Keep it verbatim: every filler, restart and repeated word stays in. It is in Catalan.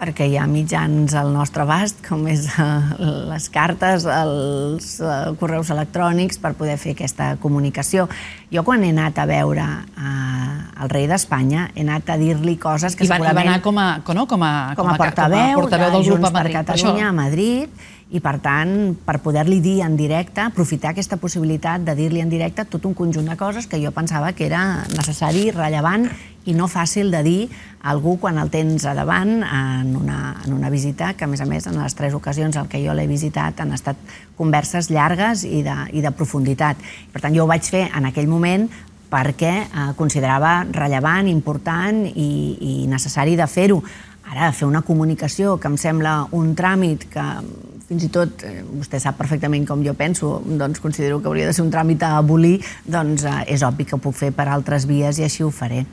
Perquè hi ha mitjans al nostre abast, com és les cartes, els correus electrònics, per poder fer aquesta comunicació. Jo, quan he anat a veure el rei d'Espanya, he anat a dir-li coses que segurament... I va anar com a com a portaveu de Junts per Catalunya a Madrid, i per tant, per poder-li dir en directe, aprofitar aquesta possibilitat de dir-li en directe tot un conjunt de coses que jo pensava que era necessari, rellevant i no fàcil de dir a algú quan el tens a davant en una visita, que a més a més en les tres ocasions en què jo l'he visitat han estat converses llargues i de profunditat. Per tant, jo ho vaig fer en aquell moment perquè considerava rellevant, important i necessari de fer-ho. Ara, fer una comunicació que em sembla un tràmit que fins i tot, vostè sap perfectament com jo penso, doncs considero que hauria de ser un tràmit a abolir, doncs és obvi que ho puc fer per altres vies i així ho faré.